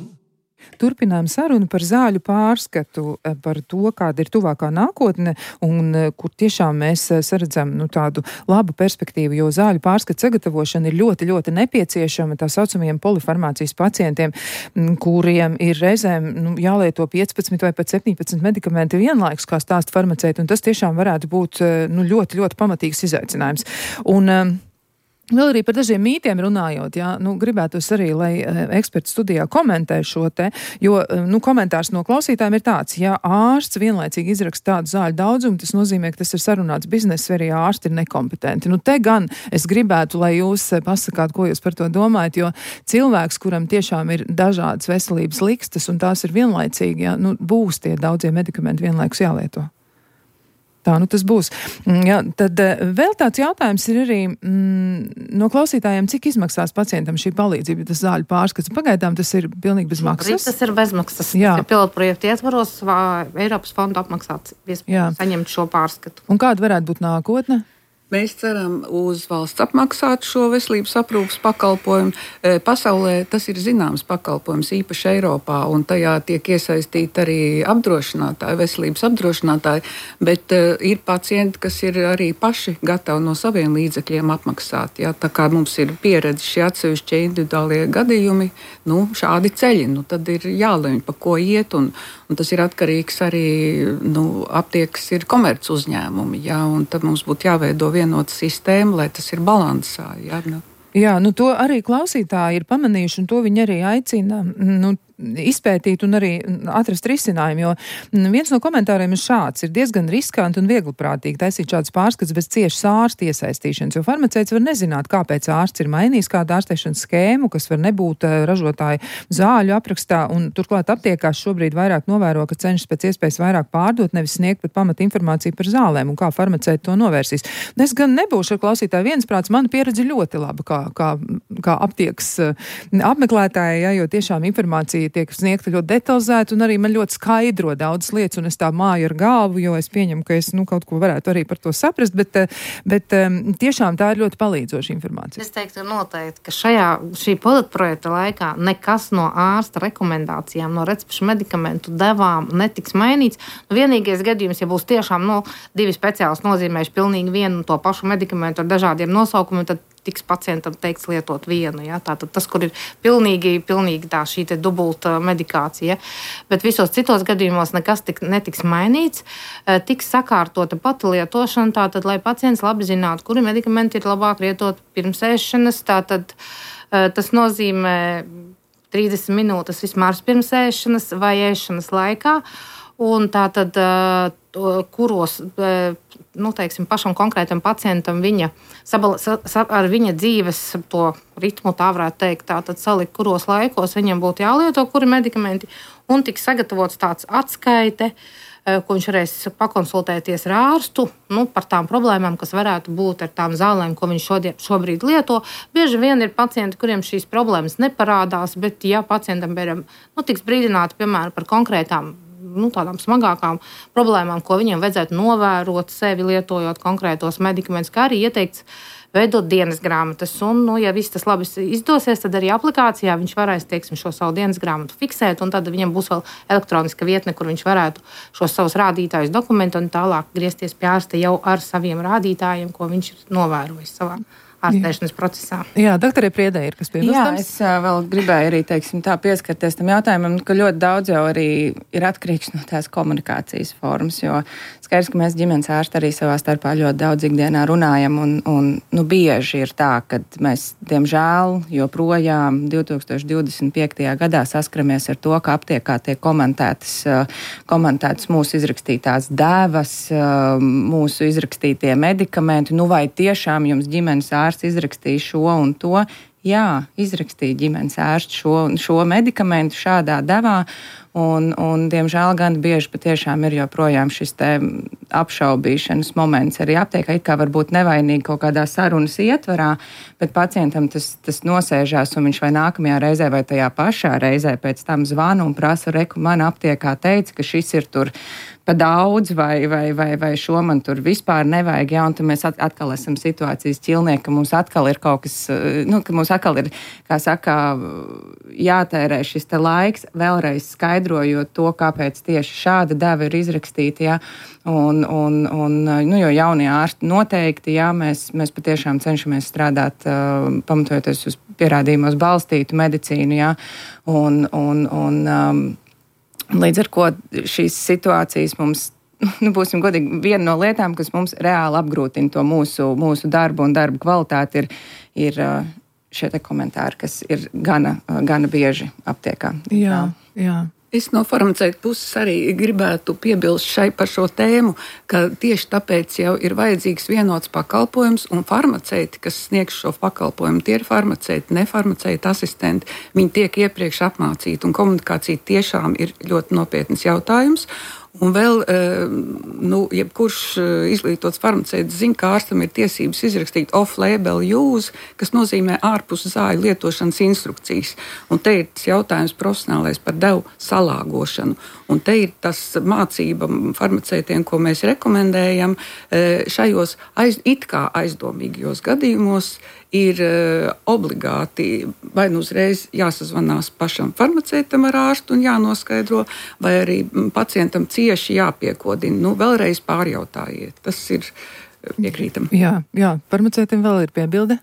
Turpinām sarunu par zāļu pārskatu, par to, kāda ir tuvākā nākotne un kur tiešām mēs saredzam tādu labu perspektīvu, jo zāļu pārskatu sagatavošana ir ļoti, ļoti nepieciešama tā saucamajiem polifarmācijas pacientiem, kuriem ir reizēm jālieto 15 vai pat 17 medikamenti vienlaikus, kā stāsta farmaceiti, un tas tiešām varētu būt ļoti, ļoti pamatīgs izaicinājums. Un vēl arī par dažiem mītiem runājot, gribētos arī, lai eksperti studijā komentē šo te, jo komentārs no klausītājiem ir tāds, ja ārsts vienlaicīgi izraksta tādu zāļu daudzumu, tas nozīmē, ka tas ir sarunāts bizness, vai arī ārsti ir nekompetenti. Te gan es gribētu, lai jūs pasakāt, ko jūs par to domājat, jo cilvēks, kuram tiešām ir dažādas veselības likstas, un tās ir vienlaicīgi, būs tie daudzie medikamenti vienlaikus jālieto. Tā, tas būs. Jā, tad vēl tāds jautājums ir arī no klausītājiem, cik izmaksās pacientam šī palīdzība, tas zāļu pārskats. Pagaidām tas ir pilnīgi bez maksas. Tas ir bezmaksas. Jā. Tas ir pilotprojekta ietvaros, Eiropas fonda apmaksāts saņemt šo pārskatu. Un kāda varētu būt nākotne? Mēs ceram uz valsts apmaksātu šo veselības aprūpas pakalpojumu. Pasaulē tas ir zināms pakalpojums, īpaši Eiropā, un tajā tiek iesaistīti arī apdrošinātāji, veselības apdrošinātāji, bet ir pacienti, kas ir arī paši gatavi no saviem līdzekļiem apmaksāt. Ja? Tā kā mums ir pieredze šie atsevišķie individuālie gadījumi, šādi ceļi, tad ir jālemj, pa ko iet, un tas ir atkarīgs arī, aptiekas ir komerc uzņēmumi, ja? Un tad mums būtu jāveido vienota sistēma, lai tas ir balansā. Ja? Jā, to arī klausītāji ir pamanījuši, un to viņi arī aicina izpētīt un arī atrast risinājumu, jo viens no komentāriem ir šāds: ir diezgan riskanti un viegliprātīgi taisīt šāds pārskats bez ciešas ārsta iesaistīšanas, jo farmaceits var nezināt, kāpēc ārsts ir mainījis kādu ārstēšanas skēmu, kas var nebūt ražotāja zāļu aprakstā, un turklāt aptiekās šobrīd vairāk novēro, ka cenšas pēc iespējas vairāk pārdot, nevis sniegt pat pamata informāciju par zālēm un kā farmaceiti to novērsīs. Es gan nebūšu ar klausītāju viensprāts, mana pieredze ļoti laba, kā aptiekas apmeklētāja, ja, jo tiešām informācija tiek sniegta ļoti detalizēta un arī man ļoti skaidro daudzas lietas, un es tā māju ar galvu, jo es pieņemu, ka es kaut ko varētu arī par to saprast, bet tiešām tā ir ļoti palīdzoša informācija. Es teiktu noteikti, ka šī pilotprojekta laikā nekas no ārsta rekomendācijām, no recepšu medikamentu devām netiks mainīts. Vienīgais gadījums, ja būs tiešām divi speciālisti nozīmējuši pilnīgi vienu to pašu medikamentu ar dažādiem nosaukumiem, tad tiks pacientam teikts lietot vienu. Ja? Tātad tas, kur ir pilnīgi tā šī te dubulta medikācija. Bet visos citos gadījumos nekas netiks mainīts. Tiks sakārtota pati lietošana, tātad, lai pacients labi zinātu, kuri medikamenti ir labāk lietot pirms ēšanas. Tātad tas nozīmē 30 minūtes vismaz pirms ēšanas vai ēšanas laikā. Un tātad, kuros, teiksim, pašam konkrētam pacientam ar viņa dzīves to ritmu, tā varētu teikt, tātad salikt, kuros laikos viņam būtu jālieto, kuri medikamenti, un tiks sagatavots tāds atskaite, ko viņš varēs pakonsultēties ar ārstu par tām problēmām, kas varētu būt ar tām zālēm, ko viņš šobrīd lieto. Bieži vien ir pacienti, kuriem šīs problēmas neparādās, bet ja pacientam tiks brīdināti, piemēram, par konkrētām tādām smagākām problēmām, ko viņam vajadzētu novērot sevi lietojot konkrētos medikamentus, kā arī ieteikts veidot dienas grāmatas. Un, ja viss tas labi izdosies, tad arī aplikācijā viņš varēs, teiksim, šo savu dienas grāmatu fiksēt, un tad viņam būs vēl elektroniska vietne, kur viņš varētu šos savus rādītājus dokumentēt un tālāk griezties pie ārsta jau ar saviem rādītājiem, ko viņš ir novērojis savā ārstēšanas procesā. Jā, doktorē Priedē ir kas piebilstams? Jā, es vēl gribēju arī, pieskarties tam jautājumam, ka ļoti daudz jau arī ir atkarīgs no tās komunikācijas formas, jo skaidrs, ka mēs ģimenes ārsti arī savā starpā ļoti daudz ikdienā runājam, un bieži ir tā, ka mēs, diemžēl, joprojām 2025. gadā saskaramies ar to, ka aptiekā tiek komentētas mūsu izrakstītās dēvas, mūsu izrakstītie medikamenti, vai tiešām jums ģimenes ārsti izrakstīja šo un to. Jā, izrakstīja ģimenes ārsts šo medikamentu šādā devā, un diemžēl gan bieži patiešām ir joprojām šis te apšaubīšanas moments arī aptiekā, it kā varbūt nevainīgi kaut kādā sarunas ietvarā, bet pacientam tas nosēžās, un viņš vai nākamajā reizē vai tajā pašā reizē pēc tam zvana un prasa, man aptiekā teica, ka šis ir tur pa daudz, vai šo man tur vispār nevajag, ja, un tad mēs atkal esam situācijas ķilnieki, ka mums atkal ir kaut kas, ka mums atkal ir, kā saka, jātērē šis te laiks, vēlreiz skaidrojot to, kāpēc tieši šāda deva ir izrakstīta, ja, jo jaunie ārsti noteikti, ja, mēs patiešām cenšamies strādāt, pamatojoties uz pierādījumos balstītu medicīnu, ja, līdz ar ko šīs situācijas mums, būsim godīgi, viena no lietām, kas mums reāli apgrūtina to mūsu darbu un darbu kvalitāti, ir šie te komentāri, kas ir gana bieži aptiekā. Jā. Es no farmaceita puses arī gribētu piebilst par šo tēmu, ka tieši tāpēc jau ir vajadzīgs vienots pakalpojums, un farmaceiti, kas sniegs šo pakalpojumu, tie ir farmaceiti, nefarmaceiti asistenti. Viņi tiek iepriekš apmācīti, un komunikācija tiešām ir ļoti nopietns jautājums. Un vēl, jebkurš izglītots farmaceits zina, ka ārstam ir tiesības izrakstīt off-label use, kas nozīmē ārpus zāļu lietošanas instrukcijas. Un te ir tas jautājums profesionālais par devu salāgošanu. Un te ir tas mācība farmaceitiem, ko mēs rekomendējam šajos it kā aizdomīgajos gadījumos, ir obligāti vai nu uzreiz jāsazvanās pašam farmaceitam ar ārstu un jānoskaidro, vai arī pacientam cieši jāpiekodina. Vēlreiz pārjautājiet. Tas ir piekrītam. Jā, farmaceitam vēl ir piebilde?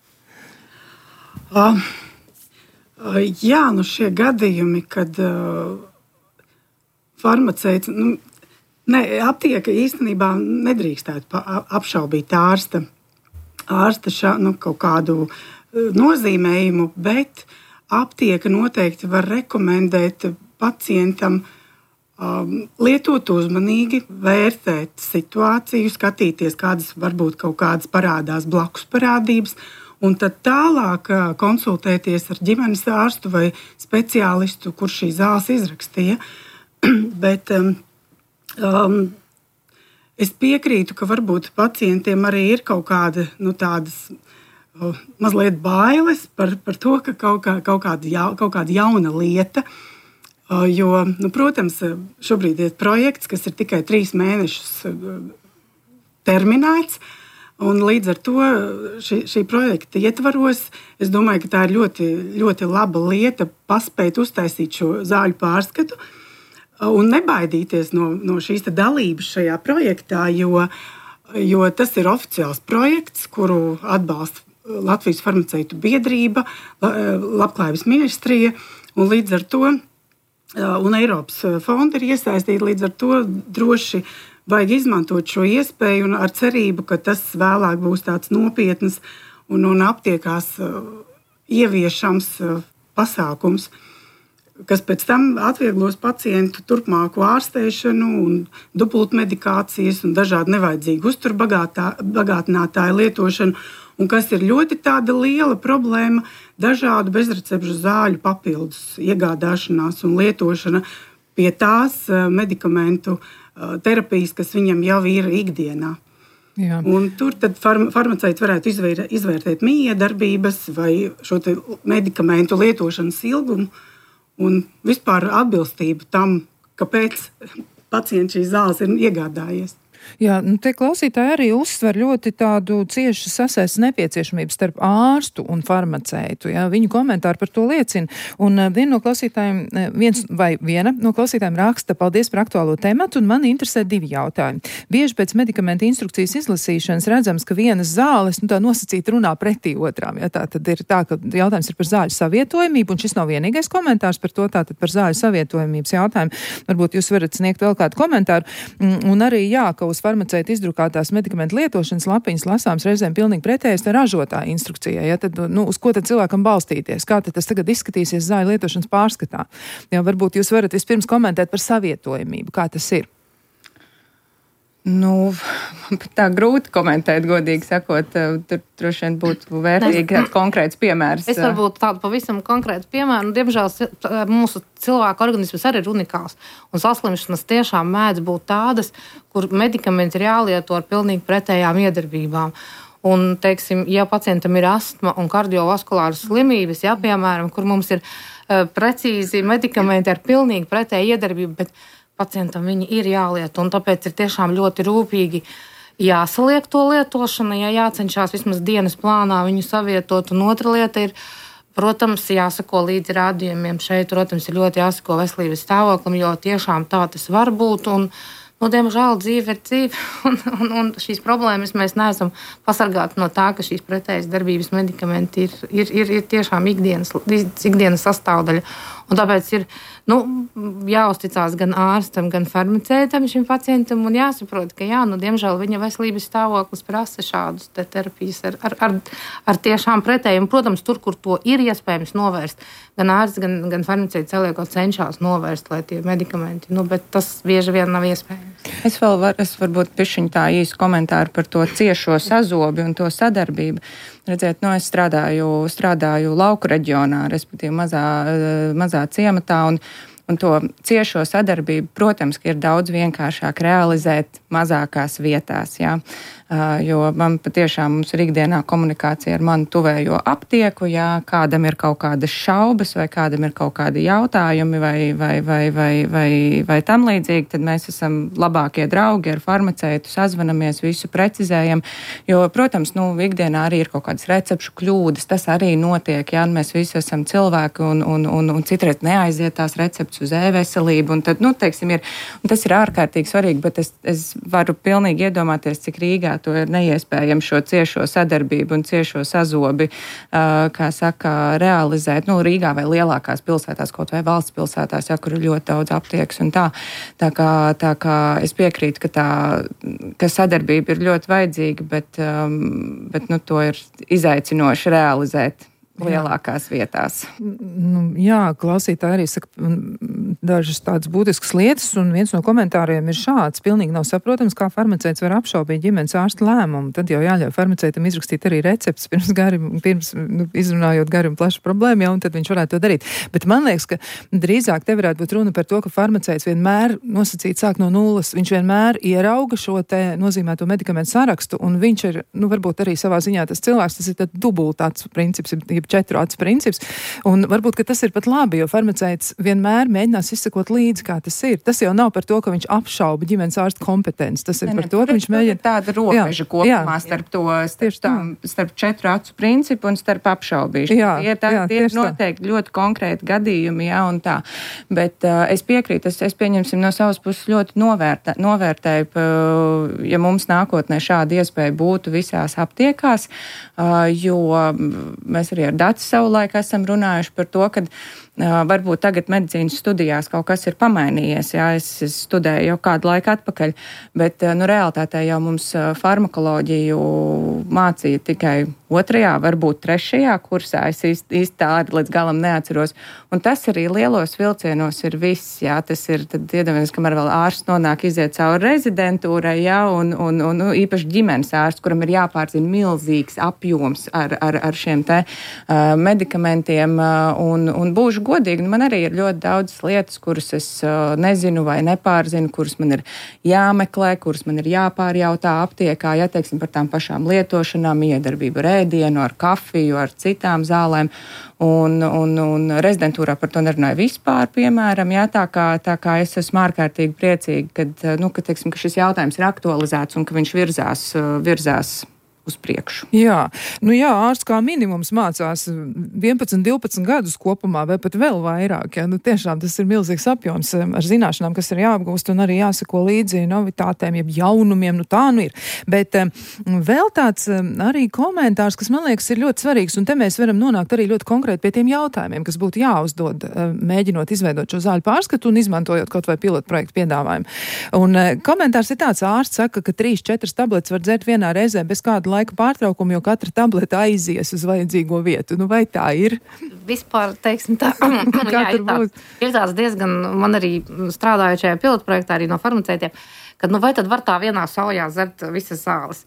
Jā, šie gadījumi, kad farmaceits, aptieka īstenībā nedrīkstētu apšaubīt ārsta kaut kādu nozīmējumu, bet aptieka noteikti var rekomendēt pacientam lietot uzmanīgi, vērtēt situāciju, skatīties, kādas varbūt kaut kādas parādās blakus parādības, un tad tālāk konsultēties ar ģimenes ārstu vai speciālistu, kurš šīs zāles izrakstīja. Bet es piekrītu, ka varbūt pacientiem arī ir kaut kāda tādas mazliet bailes par to, ka kaut kāda jauna lieta. Jo, protams, šobrīd ir projekts, kas ir tikai 3 mēnešus terminēts, un līdz ar to šī projekta ietvaros, es domāju, ka tā ir ļoti, ļoti laba lieta paspēt uztaisīt šo zāļu pārskatu un nebaidīties no šīs dalības šajā projektā, jo tas ir oficiāls projekts, kuru atbalsta Latvijas farmaceitu biedrība, Labklājības ministrija, un līdz ar to un Eiropas fondi ir iesaistīti, līdz ar to droši vajag izmantot šo iespēju un ar cerību, ka tas vēlāk būs tāds nopietns un aptiekās ieviešams pasākums, kas pēc tam atvieglos pacientu turpmāku ārstēšanu un dubultmedikācijas un dažādu nevajadzīgu uzturbagātinātāju lietošanu, un kas ir ļoti tāda liela problēma, dažādu bezrecepšu zāļu papildus iegādāšanās un lietošana pie tās medikamentu terapijas, kas viņam jau ir ikdienā. Jā. Un tur tad farmaceits varētu izvērtēt mijiedarbības vai šo medikamentu lietošanas ilgumu un vispār atbilstību tam, kāpēc pacients šīs zāles ir iegādājies. Jā, te klausītāji arī uzsver ļoti tādu ciešu sasaistes nepieciešamību starp ārstu un farmaceitu. Jā, viņu komentāri par to liecina. Un viena no klausītājiem raksta: paldies par aktuālo tematu, un mani interesē 2 jautājumi. Bieži pēc medikamenta instrukcijas izlasīšanas redzams, ka vienas zāles tā nosacīti runā pretī otrām. Jā, tā tad ir tā, ka jautājums ir par zāļu savietojamību, un šis nav vienīgais komentārs par to, tātad par zāļu savietojamības jautājumu. Varbūt jūs varat sniegt vēl kādu komentāru. Un arī jā, ka uz farmaceita izdrukātās medikamentu lietošanas lapiņas lasāms reizēm pilnīgi pretējas ražotāja instrukcijai. Ja, tad, uz ko tad cilvēkam balstīties? Kā tad tas tagad izskatīsies zāļu lietošanas pārskatā? Jā, varbūt jūs varat vispirms komentēt par savietojamību. Kā tas ir? Tā grūti komentēt, godīgi sakot. Tur droši vien būtu vērtīgi kāds konkrēts piemērs. Es varbūt tādu pavisam konkrētu piemēru. Diemžēl mūsu cilvēka organisms arī ir unikāls. Un saslimšanas tiešām mēdz būt tādas, kur medikamenti ir jālieto ar pilnīgi pretējām iedarbībām. Un, teiksim, ja pacientam ir astma un kardiovaskulāras slimības, ja, piemēram, kur mums ir precīzi medikamenti ar pilnīgi pretēju iedarbību, bet pacientam viņi ir jālieto, un tāpēc ir tiešām ļoti rūpīgi jāsaliek to lietošana, ja jācenšas vismaz dienas plānā viņu savietot. Un otra lieta ir, protams, jāsako līdzi rādījumiem šeit, protams, ir ļoti jāsako veselības stāvoklim, jo tiešām tā tas var būt, un diemžēl dzīve ir dzīve, un šīs problēmas mēs neesam pasargāti no tā, ka šīs pretējas darbības medikamenti ir tiešām ikdienas sastāvdaļa. Un tāpēc ir jāuzticās gan ārstam, gan farmaceitam šim pacientam, un jāsaprot, ka diemžēl viņa veselības stāvoklis prasa šādus terapijas ar tiešām pretējumu. Protams, tur, kur to ir iespējams novērst, gan ārsts, gan farmaceits saliekot cenšas novērst, lai tie medikamenti, bet tas bieži vien nav iespējams. Es varbūt pišķiņu tā īsu komentāru par to ciešo sazobi un to sadarbību. Redziet, es strādāju lauku reģionā, respektīvi mazā ciematā, un to ciešo sadarbību, protams, ka ir daudz vienkāršāk realizēt mazākās vietās, jā. Jo man patiešām mums ir ikdienā komunikācija ar manu tuvējo aptieku, ja kādam ir kaut kādas šaubas vai kādam ir kaut kādi jautājumi vai tam līdzīgi, tad mēs esam labākie draugi ar farmaceitu, sazvanamies, visu precizējam, jo, protams, ikdienā arī ir kaut kādas recepšu kļūdas, tas arī notiek, ja mēs visi esam cilvēki un citreiz neaiziet tās receptes uz e-veselību, un tad, teiksim, un tas ir ārkārtīgi svarīgi, bet es varu pilnīgi iedomāties, cik Rīgā to ir neiespējami šo ciešo sadarbību un ciešo sazobi, kā saka, realizēt, Rīgā vai lielākās pilsētās, kaut vai valsts pilsētās, kur ir ļoti daudz aptiekas un tā. Tā kā es piekrītu, ka sadarbība ir ļoti vajadzīga, bet to ir izaicinoši realizēt lielākās vietās. Jā, klausītāji arī saka, dažas tādas būtiskas lietas, un viens no komentāriem ir šāds. Pilnīgi nav saprotams, kā farmaceits var apšaubīt ģimenes ārsta lēmumu. Tad jau jāļauj farmaceitam izrakstīt arī recepts pirms izrunājot gari un plašu problēmu, ja, un tad viņš varētu to darīt. Bet man liekas, ka drīzāk te varētu būt runa par to, ka farmaceits vienmēr nosacīt sāk no nulles. Viņš vienmēr ierauga šo te nozīmēto medikamentu sarakstu, un viņš ir, varbūt arī savā ziņā tas cilvēks, tas ir tad dubultāts princips, jeb 4 acu princips, un varbūt, ka tas ir pat labi, jo farmaceits vienmēr mēģinās izsekot līdzi, kā tas ir. Tas jau nav par to, ka viņš apšauba ģimenes ārsta kompetenci. Tas ir par to, ka viņš mēģina tāda robeža kopumā starp 4 acu principu un starp apšaubīšanu. Tie ir noteikti ļoti konkrēti gadījumi, un tā. Bet es piekrītu, es pieņemsim no savas puses ļoti novērtēju, ja mums nākotnē šāda iespēja būtu visās aptiekās, jo mēs arī ar Daci savulaik esam runājuši par to, ka varbūt tagad medicīnas studijās kaut kas ir pamainījies. Jā, es studēju jau kādu laiku atpakaļ, bet realitātē jau mums farmakoloģiju mācīja tikai 2., varbūt 3. kursā. Es īsti tā arī līdz galam neatceros. Un tas arī lielos vilcienos ir viss. Jā, tas ir, tad iedomājieties, kamēr vēl ārsts nonāk iziet cauri rezidentūrai, jā, un īpaši ģimenes ārsts, kuram ir jāpārzina milzīgs apjoms ar šiem te medikamentiem, un būšu godīgi, man arī ir ļoti daudz lietas, kuras es nezinu vai nepārzinu, kuras man ir jāmeklē, kuras man ir jāpārjautā aptiekā, ja teiksim par tām pašām lietošanām, iedarbību ar ēdienu, ar kafiju, ar citām zālēm, un rezidentūrā par to nerunāju vispār, piemēram, jā, tā kā es esmu ārkārtīgi priecīga, ka teiksim, ka šis jautājums ir aktualizēts un ka viņš virzās uz priekšu. Jā, ārsts kā minimums mācās 11, 12 gadus kopumā, vai pat vēl vairāk. Ja? Tiešām tas ir milzīgs apjoms ar zināšanām, kas ir jāapgūst un arī jāsako līdzi novitātēm, jeb jaunumiem, tā ir. Bet vēl tāds arī komentārs, kas man liekas ir ļoti svarīgs, un te mēs varam nonākt arī ļoti konkrēti pie tiem jautājumiem, kas būtu jāuzdod, mēģinot izveidot šo zāļu pārskatu un izmantojot kaut vai pilotu projektu piedāvājumu. Un komentārs ir tāds, ārsts saka, ka 3-4 tabletes var dzert vienā reizē bez kāda laika pārtraukumu, jo katra tableta aizies uz vajadzīgo vietu. Vai tā ir? Vispār, teiksim tā, ir tāds diezgan, man arī strādājot šajā pilotprojektā arī no farmaceitiem, ka vai tad var tā vienā saujā dzert visas zāles?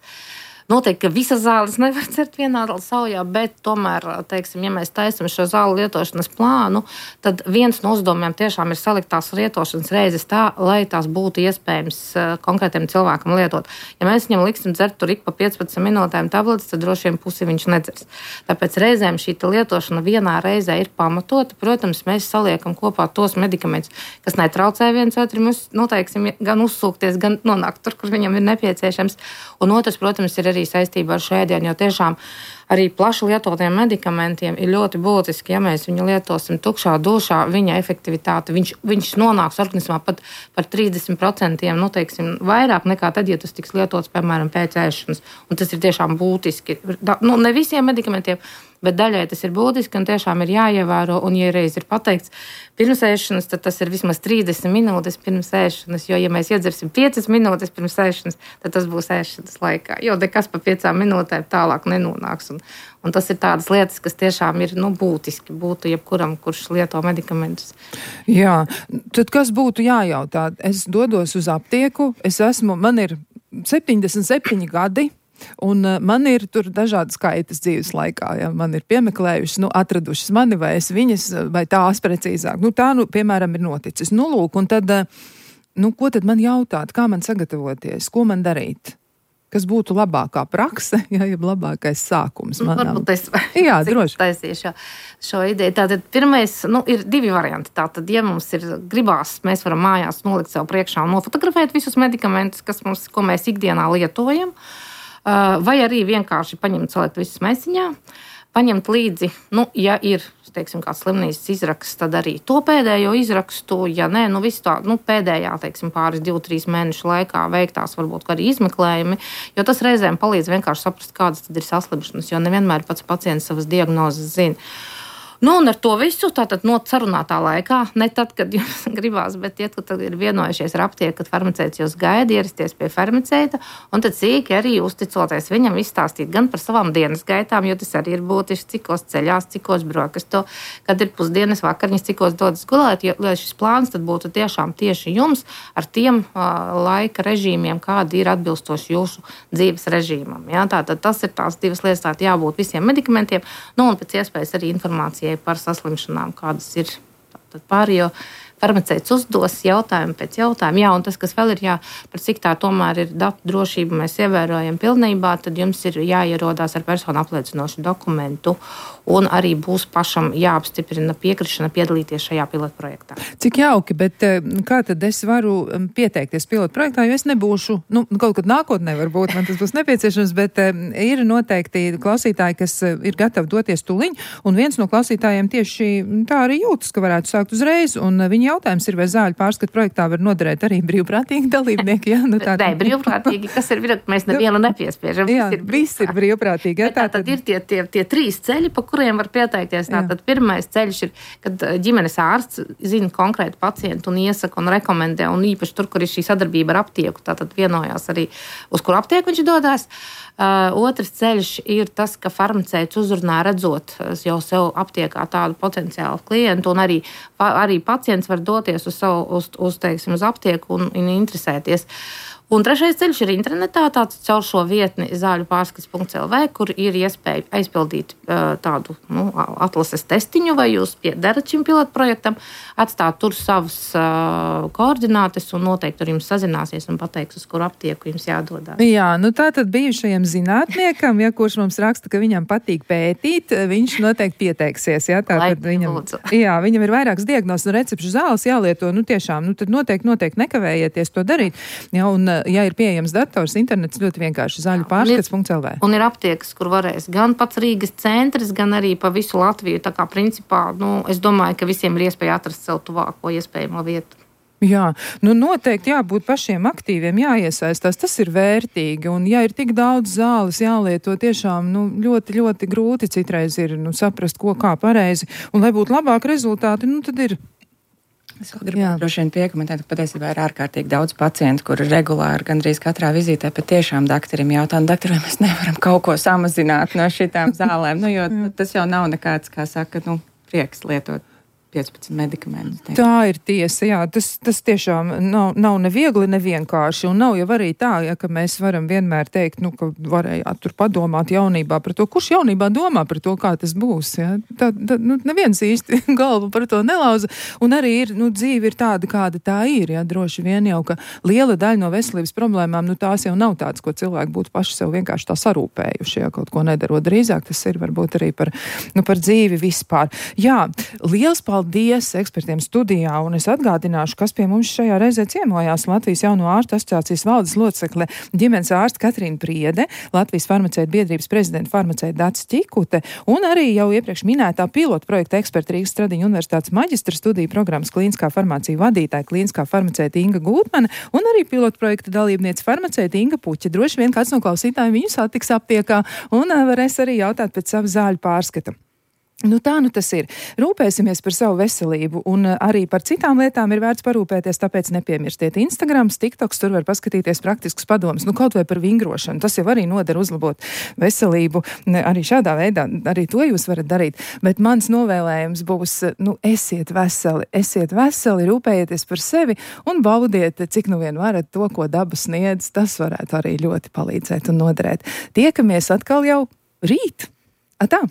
Noteikti, ka visas zāles nevar dzert vienā saujā, bet tomēr, teiksim, ja mēs taisam šo zāļu lietošanas plānu, tad viens no uzdevumiem tiešām ir salikt tās lietošanas reizes tā, lai tās būtu iespējams konkrētiem cilvēkam lietot. Ja mēs viņam liksim dzert tur ik pa 15 minūtēm tabletes, tad droši vien pusi viņš nedzers. Tāpēc reizēm šī lietošana vienā reizē ir pamatota. Protams, mēs saliekam kopā tos medikamentus, kas netraucē viens otram, teiksim, gan uzsūkties, gan nonākt tur, kur viņam ir nepieciešams. Un otrs, protams, ir arī saistībā ar šo ēdienu, jo tiešām arī plaši lietotiem medikamentiem ir ļoti būtiski, ja mēs viņu lietosim tukšā dušā, viņa efektivitāte, viņš nonāks organismā pat par 30%, teiksim, vairāk nekā tad, ja tas tiks lietots, piemēram, pēc ēšanas. Un tas ir tiešām būtiski. Ne visiem medikamentiem, bet daļai tas ir būtiski un tiešām ir jāievēro. Un, ja reiz ir pateikts pirms ēšanas, tad tas ir vismaz 30 minūtes pirms ēšanas, jo, ja mēs iedzersim 5 minūtes pirms ēšanas, tad tas būs ēšanas laikā, jo nekas pa 5 minūtēm tālāk nenonāks. Un tas ir tādas lietas, kas tiešām ir būtiski būtu jebkuram, kurš lieto medikamentus. Jā, tad kas būtu jājautā? Es dodos uz aptieku, man ir 77 gadi, un man ir tur dažādas kaitas dzīves laikā. Ja? Man ir piemeklējušas, atradušas mani vai es viņas, vai tās precīzāk. Tā, piemēram, ir noticis. Lūk, un tad, ko tad man jautāt? Kā man sagatavoties? Ko man darīt? Kas būtu labākā prakse, ja labākais sākums manām? Varbūt es droši taisīšu šo ideju. Tātad pirmais, ir 2 varianti. Tātad, ja mums ir gribās, mēs varam mājās nolikt sev priekšā un nofotografēt visus medikamentus, ko mēs ikdienā lietojam, vai arī vienkārši paņemt, salikt visus maisiņā, paņemt līdzi, ja ir, teiksim, kāds slimnīcas izraksts, tad arī to pēdējo izrakstu, ja nē, visu tā, pēdējā, teiksim, pāris 2-3 mēnešu laikā veiktās varbūt arī izmeklējumi, jo tas reizēm palīdz vienkārši saprast, kādas tad ir saslimšanas, jo nevienmēr pats pacients savas diagnozes zina. Nu, un ar to visu tātad no sarunātā laikā, ne tad, kad jums gribās, bet tie, kad ir vienojušies ar aptieku, kad farmaceits jūs gaida, ierasties pie farmaceita, un tad sīki arī uzticoties viņam izstāstīt gan par savām dienas gaitām, jo tas arī ir būtiski, cikos ceļās, cikos brokasto, kad ir pusdienas vakariņas, cikos dodas gulēt, jo, lai šis plāns tad būtu tiešām tieši jums ar tiem laika režīmiem, kādi ir atbilstoši jūsu dzīves režīmam. Ja? Tātad tas ir tās divas lietas, tātad jābūt visiem medikamentiem, nu, un pēc iespējas arī informācijai par saslimšanām, kādas ir pārējo. Farmaceits uzdos jautājumu pēc jautājuma. Jā, un tas, kas vēl ir, par cik tā tomēr ir datu drošība, mēs ievērojam pilnībā, tad jums ir jāierodās ar personu apliecinošu dokumentu un arī būs pašam jāapstiprina piekrišana piedalīties šajā pilotprojektā. Cik jauki, bet kā tad es varu pieteikties pilotprojektā, jo es nebūšu, kaut kad nākotnē varbūt man tas būs nepieciešams, bet ir noteikti klausītāji, kas ir gatavi doties tuliņ, un viens no klausītājiem tieši tā arī jūtas, ka varētu sākt uzreiz, un viņi jautājums ir, vai zāļu pārskatu projektā var noderēt arī brīvprātīgi dalībnieki. Jā, Nē, brīvprātīgi, kas ir, mēs nevienu nepiespiežam. Jā, viss ir brīvprātīgi. Tātad ir tie trīs ceļi, pa kuriem var pieteikties. Tātad pirmais ceļš ir, kad ģimenes ārsts zina konkrētu pacientu un iesaka un rekomendē, un īpaši tur, kur ir šī sadarbība ar aptieku, tātad vienojās arī, uz kuru aptieku viņš dodās. Otrs ceļš ir tas, ka farmaceits uzrunā redzot jau sev aptiekā tādu potenciālu klientu, un arī pacients var doties uz aptieku un interesēties. Un trešais ceļš ir internetā, tāds caur šo vietni zāļupārskats.lv, kur ir iespēja aizpildīt tādu atlases testiņu, vai jūs piederat šim pilotprojektam, atstāt tur savas koordinātes un noteikti tur jums sazināsies un pateiks, uz kuru aptieku jums jādodās. Jā, tātad bijušajam zinātniekam, kurš mums raksta, ka viņam patīk pētīt, viņš noteikti pieteiksies. Viņam ir vairākas diagnozes un recepšu zāles jālieto, tiešām, tad noteikti nekavējieties to darīt. Jā, un ja ir pieejams dators, internets ļoti vienkārši zāļupārskats.lv. Un ir aptiekas, kur varēs gan pats Rīgas centrs, gan arī pa visu Latviju. Tā kā principā, es domāju, ka visiem ir iespēja atrast sev tuvāko iespējamo vietu. Jā, noteikti jābūt pašiem aktīviem, jāiesaistās, tas ir vērtīgi, un ja ir tik daudz zāles jālieto, tiešām, ļoti, ļoti grūti citreiz ir, saprast, ko kā pareizi, un lai būtu labāki rezultāti, tad ir. Es vēl gribu droši vien piekomentēt, ka patiesībā ir ārkārtīgi daudz pacientu, kuri regulāri gandrīz katrā vizītē patiešām daktarim jautā, vai mēs nevaram kaut ko samazināt no šitām zālēm, jo tas jau nav nekāds, kā saka, prieks lietot 15 medikamentus. Tā ir tiesa, jā, tas tiešām nav neviegli, nevienkārši, un nav jau arī tā, ka mēs varam vienmēr teikt, ka varējāt tur padomāt jaunībā par to, kurš jaunībā domā par to, kā tas būs, jā. Neviens īsti galvu par to nelauza, un arī ir, dzīve ir tāda, kāda tā ir, jā, droši vien jau, ka liela daļa no veselības problēmām, tās jau nav tādas, ko cilvēki būtu paši sev vienkārši tā sarūpējuši, ja kaut ko nedarot. Drīzāk tas ir varbūt arī par dzīvi vispār. Jā, liels paldies ekspertiem studijā, un es atgādināšu, kas pie mums šajā reizē ciemojās Latvijas Jauno ārstu asociācijas valdes locekle ģimenes ārste Katrīna Priede, Latvijas farmaceitu biedrības prezidenta farmaceita Dats Ķikute, un arī jau iepriekš minētā pilotprojekta eksperta Rīgas Stradiņu universitātes maģistra studiju programmas klīniskā farmācija vadītāja klīniskā farmaceita Inga Gūtmane, un arī pilotprojekta dalībniece farmaceita Inga Puķa. Droši vien kāds no klausītājiem viņu satiks aptiekā un varēs arī jautāt pēc savu zāļu pārskata. Tā tas ir. Rūpēsimies par savu veselību, un arī par citām lietām ir vērts parūpēties, tāpēc nepiemirstiet Instagrams, TikToks, tur var paskatīties praktiskus padomus, kaut vai par vingrošanu. Tas jau arī noder uzlabot veselību. Arī šādā veidā, arī to jūs varat darīt. Bet mans novēlējums būs, esiet veseli, rūpējieties par sevi un baudiet, cik vien varat to, ko daba sniedz. Tas varētu arī ļoti palīdzēt un noderēt. Tiekamies atkal jau rīt. Atā!